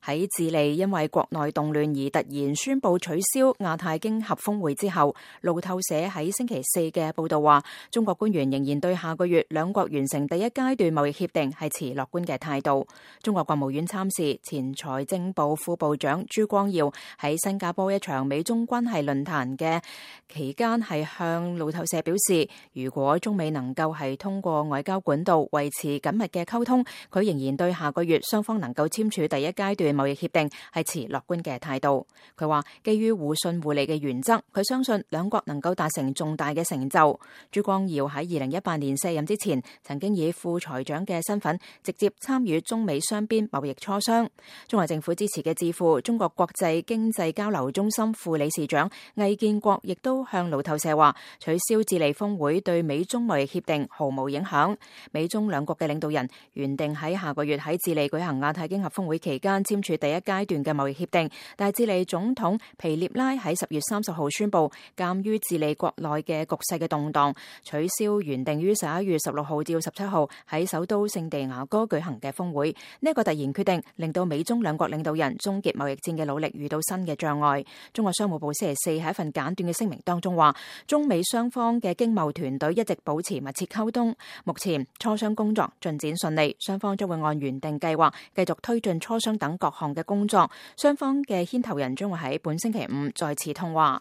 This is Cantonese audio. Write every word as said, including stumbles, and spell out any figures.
喺智利因為國內動亂而突然宣布取消亞太經合峰會之後，路透社喺星期四嘅報道話，中國官員仍然對下個月兩國完成第一階段貿易協定係持樂觀嘅態度。中國國務院參事前財政部副部長朱光耀喺新加坡一場美中關係論壇嘅期間係向路透社表示，如果中美能夠係通過外交管道維持緊密嘅溝通，佢仍然對下個月雙方能夠簽署第一階段貿易協定係持樂觀嘅態度。佢話基於互信互利嘅原則，佢相信兩國能夠達成重大嘅成就。朱光耀喺二零一八年卸任之前，曾經以副財長嘅身份直接參與中美雙邊貿易磋商。中國政府支持嘅智庫中國國際經濟交流中心副理事長魏建國亦都向路透社話，取消智利峰會對美中貿易協定毫無影響。美中兩國嘅領導人原定喺下個月喺智利舉行亞太經合峰會期間簽署第一階段嘅貿易協定，但係智利總統皮涅拉喺十月三十號宣布，鑒於智利國內嘅局勢嘅動盪，取消原定於十一月十六號至十七號喺首都聖地牙哥舉行嘅峰會。呢一個突然決定令到美中兩國領導人終結貿易戰嘅努力遇到新嘅障礙。中國商務部星期四喺一份簡短嘅聲明當中話，中美雙方嘅經貿團隊一直保持密切溝通，目前磋商工作進展順利，雙方將會按原定計劃繼續推進磋商等各項嘅工作。雙方嘅牽頭人將會喺本星期五再次通話。